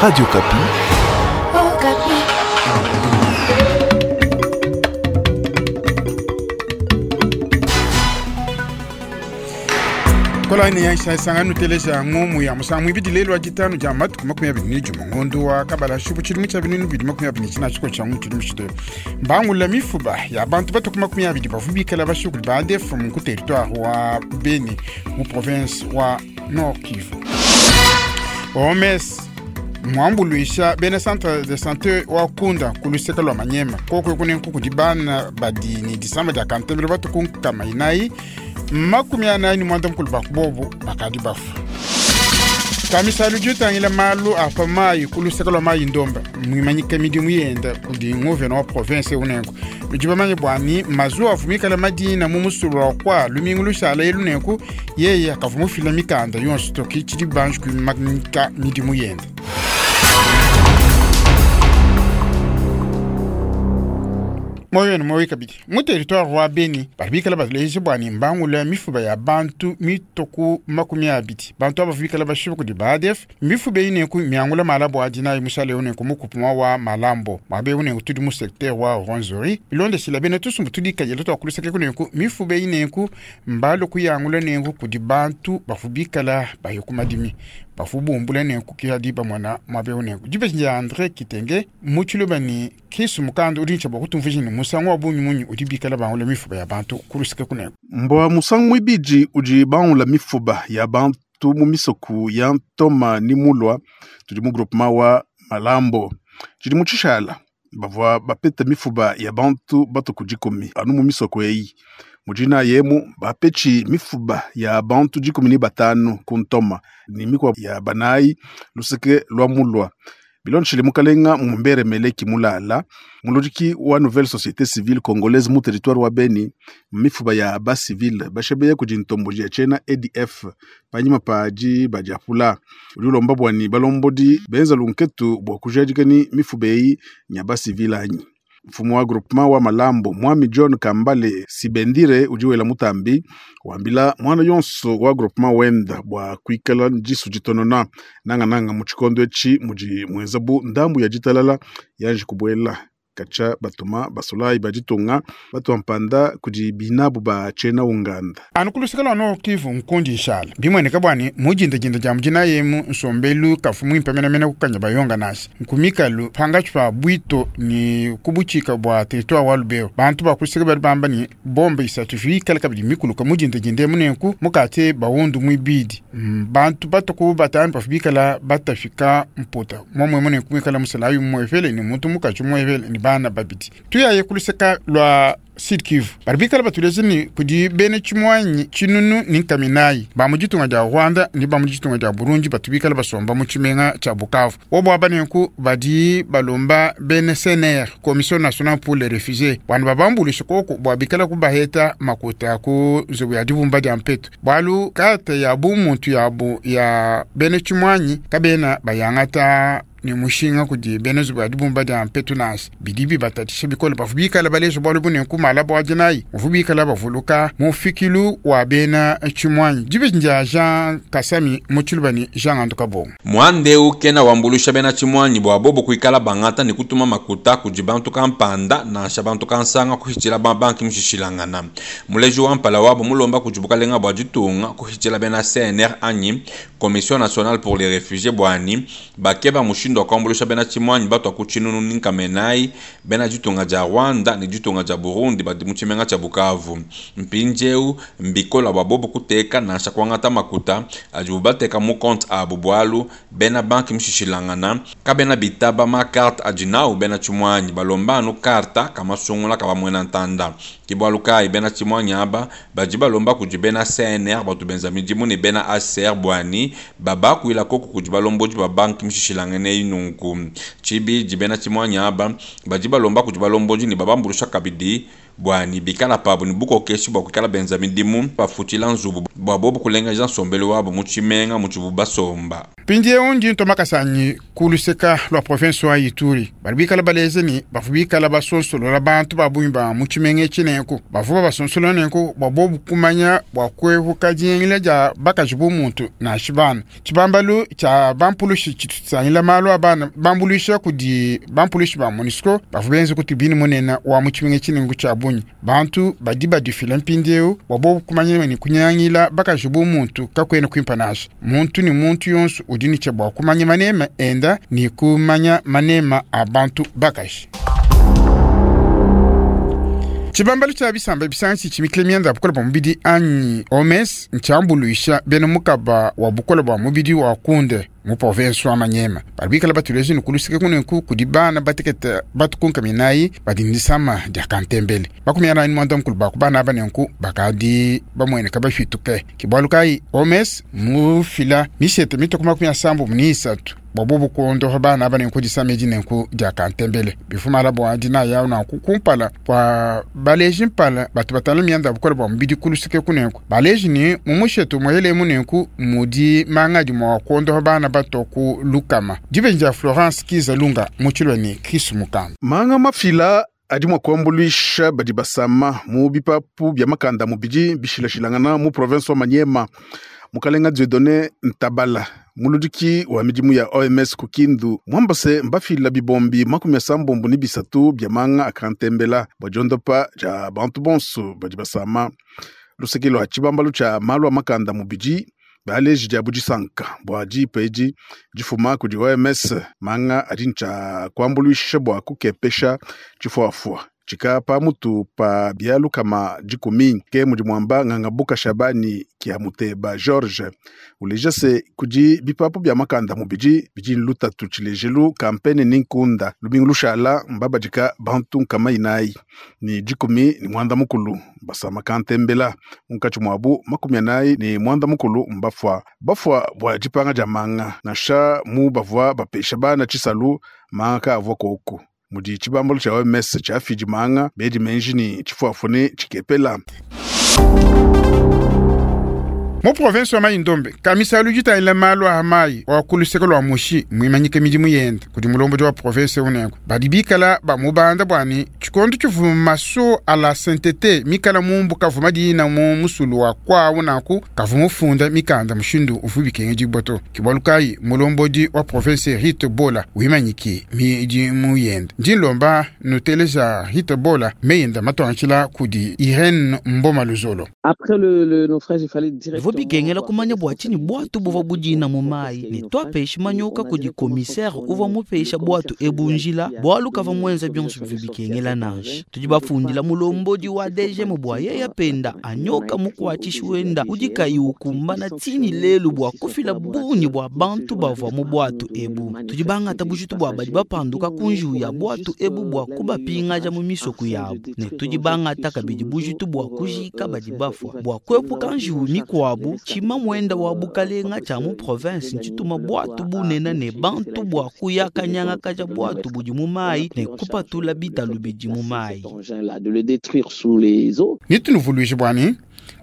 Radio Okapi. Okapi. Kolani ya nsanga nuteleja ngumu ya musangu ibidi lelo wa ditanu dia matuku 21 ngondo wa kabala shubu tshidimu tshia 2024 tshiko tshia ngu tshidimu tshite mbangula mifuba ya bantu batuku 20 bavu bikala bashukuli ba ADF mu territoire wa Beni mu province wa Nord Kivu. OMS mwambuluisha bena centre de santé wa kunda kuluseka lwa manyema koko kune nkuku dibana badi ni disamba dia kantembele batuku nkama inayi 48 mukulu bakubobu bakadi bafu. Kamisalu jutangila malu apa mayi kuluseka lwa mayi ndomba mwimanyika midimu yenda kudi nguvena wa province unenku ludi bamanye bwani mazuwa avumikala madina mu musulu wa kwa lumingu lushala ye lunenku yeye akavumufila mikanda yonso toki tshidi banji kumanyika midimu yenda. Moyo ni moyo kabidi mu territoire wa Beni babikala baleje bwani mbangula mifuba ya bantu mitoku 20 bantu aba bikala bashibu kudi ba ADF mifuba ine ku miangula malabo adina musale une ku mukupuma wa malambo mabe une tudi mu secteur wa Rwenzori bilonde sila bene tusumbu tudi kajelo to kuluseke kune ku mifuba ine ku mbalo kuyangula nenku kudi bantu bafubikala bayokumadimi bafubumbula nenku kihadi bamwana mabe une ku jibe ya André Kitenge muchiluba ni kisu mukando uri nchabo kutumvujini musangu wa bunyu munyu udi bikala bangula mifuba ya bantu kuluseke kuneko. Mbwa musangu mwibiji udi bangula mifuba ya bantu mu misoku ya ntoma ni mulwa tudi mu groupement wa malambo tshidi mu tshishala bavua bapeta mifuba ya bantu batuku dikumi anu mu misoko eyi mujina yemu bapetshi mifuba ya bantu 15 ku ntoma ni mikwa ya banayi luseke lwa mulwa bilonshile mukalenga mumbere meleki mulala muludiki wa nouvelle société civile congolaise mu territoire wa Beni mifuba ya ba civile bashebeye kudi ntombo ya chena ADF panyima paji bajapula udi ulomba bwani balombodi benza lunketu bwa kujadikani mifuba eyi nya ba civile anyi mfumo wa groupement wa malambo mwami John Kambale Sibendire ujiwela mutambi wambila mwana yonso wa groupement wenda bwa kuikala njisu jitonona nanga nanga mu tshikondo etshi muji mwenzabu ndambu ya jitalala yaje kubwela kacha batuma basolayi bajitunga batuampanda kudi binabu ba chena unganda. Anu kuluseka lwa Nord Kivu nkundi inshala bimweneka bwani mujindajinda ja mujina yemu nsombelu kafu mwimpe menamena kukanya bayonga nasi nkumikalu pangachi pa bwito ni kubuchika bwa territoire wa Lubero bantu bakuluseka bali bamba ni bombe isatu vikala kabidi mikuluka mujindajinda munenku mukate bawundu mwibidi bantu batuku batanu bafubikala batafika mputa momwe munenku mwikala musalayu mwefele ni muntu mukachi mwefele ni bana babidi tuyaye kuluseka lwa Sud Kivu baribikala batuleze ni kudi bene chimwanyi chinunu ni nkaminayi ba mu ditunga dia Rwanda ni ba mu ditunga dia Burundi batubikala basomba mu tshimenga tshia Bukavu wobo abanenku badi balomba bene CNR Commission Nationale pour les Réfugiés bwana babambulisha koko bwabikala kubaheta makuta ku nzubu ya dibumba dia mpeto bwalu kata ya bumuntu yabu ya bene chimwanyi kabena bayangata ni mushinga kudi bene zubu ya dibumba dia mpeto nasi bidibi batatisha bikole bavubikala balezo bwalu bunenku malabo adinayi muvubikala bavuluka mufikilu wa bena chimwanyi jibe nja Jean Kasami muchilubani Jean Anduka Bongo mwande ukena wambulusha bena chimwanyi bwa bobo kuikala bangata ni kutuma makuta kudi bantu kampanda nansha bantu kansanga kuhichila ba banki mushishilangana muleji wa mpala wabo mulomba kujibukalenga bwa ditunga kuhichila bena CNR anyi Commission Nationale pour les Réfugiés bwani bakeba mushindo kwambulusha bena chimwanyi batu akuchinunu ninkamenai bena ditunga dia Rwanda ni ditunga dia Burundi badi mu tshimenga tshia Bukavu mpinjeu mbikola bwa bobo kuteka nansha kwangata makuta adi bubateka mu compte abu bwalu bena banki mushishilangana kabena bitaba ma carte adi nau bena chimwanyi balomba anu karta kamasungula kabamwena ntanda kibwalu kai bena chimwanyi aba badi balomba kudi bena CNR batu benza midimu ni bena ACR bwani babakuila koko kudi balombodi ba banki mushishilangene nunku chibi jibena chimwanyi aba badi balomba kudi balombodi ni babambulusha kabidi bwani bikala pabo ni bukokeshi bwa kuikala benza midimu bafutila nzubu bwa bobo kulengeja nsombelu wabo mu tshimenga mu tshibu basomba. Mpindieu ndi ntua makasa anyi ku luseka lua province wa Ituri. Badi bikala baleja ne bavua bikala basonsolola bantu ba bungi ba mu tshimenga etshi nenku bavua babasonsolola nenku bua bobu kumanya bua kuepuka diyengela dia bakaji bu muntu nansha bana. Tshibambalu tshia bampulushi tshitu tshitangila malu a bana bambuluisha kudi bampulushi ba MONUSCO bavua benze ku tribune munene wa mu tshimenga etshi nenku tshia bungi. Bantu badi badifila mpindieu bua bobu kumanya ne kunyangila bakaji bu muntu kakuena kuimpa nansha. Muntu ne muntu yonso udi ne tshia bua kumanya manema enda ne kumanya manema a bantu bakaji. Tshibambalu tshia bisamba bisangi tshimikile mianda ya bukole bua mubidi anyi OMS ntshiambuluisha bena mukaba wa bukole bua mubidi wa kunde mu province wa Maniema. Badi bikala batuleje ne kuluseke kunenku kudi bana batekete batukunka minayi badi ne disama dia kantembele. 45 ba ku bana aba nenku bakadi bamueneka bafituke. Ke bualu kayi OMS mufila mishete mitue ku 73 bua bobu kuondopa bana aba nenku disama edi nenku dia kantembele. Bifumala bua dinaya awu nanku kumpala kua baleji mpala batu batangila mianda ya bukole bua mubidi ku luseke kunenku. Baleji ne mu mushetu muelemu nenku mudi manga adi mua kuondopa bana batua ku lukama. Dibeji dia Florence Kizalunga mu tshilua ne Chris Mukanda. Manga mafila adi mua kuambuluisha badi basama mu bipapu bia makanda a mubidi bishilashilangana mu province wa Maniema. Mukalenga Dieudonne Ntabala, muludiki wa midimu ya OMS ku Kindu, muamba se mbafila bibombi 63 bia manga a kantembela bua diondopa dia bantu bonso badi basama. Luseke lua tshibambalu tshia malu a makanda a mubidi baleji diabu disanka bua dipa edi difuma kudi OMS. Manga adi ntshia kuambuluisha bua kukepesha tshifuafua tshika pa mutu pa bia 110. Ke mudi muamba Ngangabuka Shabani kia Muteba George uleja se kudi bipapu bia makanda mubidi bidi lutatu tshilejelu kampene ni nkunda lubingu lushala mbabadika bantu 419 basama kantembela munkatshi muabu 45 mbafua bafua bua dipanga dia manga nansha mu bavua bapesha bana tshisalu manga kaavua koku mudi tshibambalu tshia OMS tshiafidi manga bedi menji ni tshifuafu ne tshikepela. Mu province wa Mai-Ndombe, kamisalu ditangila malu a mai wa ku luseke lua Mushi muimanyike midimu yende kudi mulombodi wa province unenku. Badi bikala bamubanda bua ne tshikondo tshivua maso a la sainteté mikala mumbu kavua madina mu musulu wa kwawu nanku kavua mufunda mikanda mushindu uvua bikengedibua to. Ke bualu kayi mulombodi wa province Rite Bola wimanyike midimu yende. Ndi nlomba nuteleja Rite Bola meyenda matuangashila kudi Irene Mboma Luzolo. Après le naufrage, il fallait directement Bivua bikengela kumanya bua tshinyi bwatu buvua budina mu mayi ne twapesha manyoka kudi commissaire uvua mupesha bwatu ebu njila bualu kavua muenza bionso bivua bikengela nansha. Tudi bafundila mulombodi wa DGM bua yeye penda anyoka mukuatshishi wenda udi kayi ukumbana tshini lelu bua kufila bungi bua bantu bavua mu bwatu ebu. Tudi bangata bujitu bua badi bapanduka ku njiwu ya bwatu ebu bua kubapingaja mu misoko yabu ne tudi bangata kabidi bujitu bua kujika badi bafua bua kuepuka njiwu mikuabu. Tshima muenda wa bukalenga tshia mu province ntshituma bwatu bunene ne bantu bua kuyakanyangakaja bwatu budi mu mayi ne kupatula bitalu bidi mu mayi. De le détruire sous les eaux. Nitunuvuluije bua ne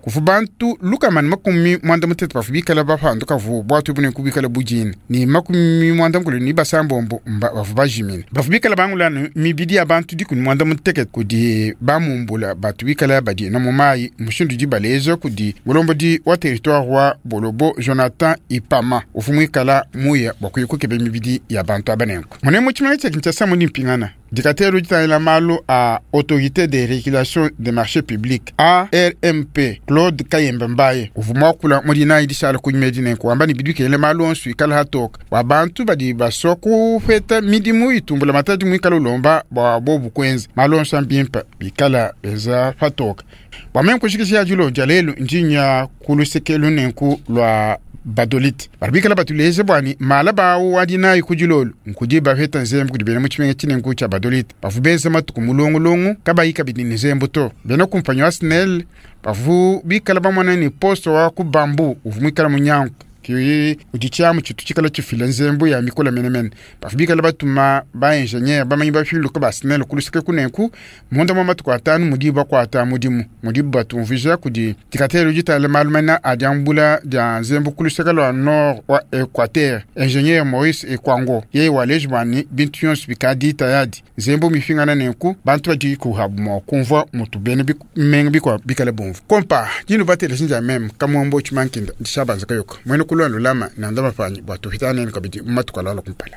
kuvu bantu 138 bavua bikala bapanduka vu bwatu bune kubikala budini ne 96 bavua bajimine. Bavua bikala bangulanu mibidi ya bantu 18 kudi bamumbula batu bikala badina mu mayi mushindu udi baleja kudi mulombodi wa territoire wa Bolobo Jonathan Ipama uvua muikala muya bua kuya kukeba mibidi ya bantu aba nenku. Mune mu tshimenga tshia Kinshasa mudi mpingana dikatelo ditangila malu a autorité de régulation des marchés publics ARMP Claude Kayembe Mbaye uvua muakula mu dinayi dishala kunyuma edi nenku wamba ne bidi bikengela malu onso ikala hatoka bua bantu badi basua kupeta midimu itumbula matadi muikala ulomba bua bobu kuenza malu onso ambimpa bikala benza patoka. Bua meme kushikisha dilo dia lelu ndinya ku luseke lunenku lua Badolite badi bikala batuleje bua ne mala bawu wa dinayi ku dilolo nkudi bapeta nzembu kudi bena mu tshimenga tshinenku tshia Badolite bavua benza matuku mulongolongo kabayi kabidi ne nzembu to. Bena kumpanyi wa SNEL bavua bikala bamona ne poste wa ku bambu uvua muikala munyangu. Ki udi tshiamu tshitu tshikala tshifila nzembu ya mikola menemene. Bavua bikala batuma ba ingenieur bamanyi bapiluke ba SNEL ku luseke kunenku munda mwa matuku atanu mudi bakuata mudimu mudibu batumvuija kudi dikatelo ditala malu mena a diambula dia nzembu ku luseke lua nord wa Equateur. Ingenieur Maurice Ekwango yeye waleji bua ne bintu bionso bikadi tayadi nzembu mifingana nenku bantu badi kuhabu mua kumvua mutu bena bimenga bikua bikala bumvu kompa dinu bateleji ndia meme kamwambo tshimankinda ndishabanza kayoka mwene kulwa lulama nanda mapanyi bua tupita nenu kabidi mu matuku alala kumpala.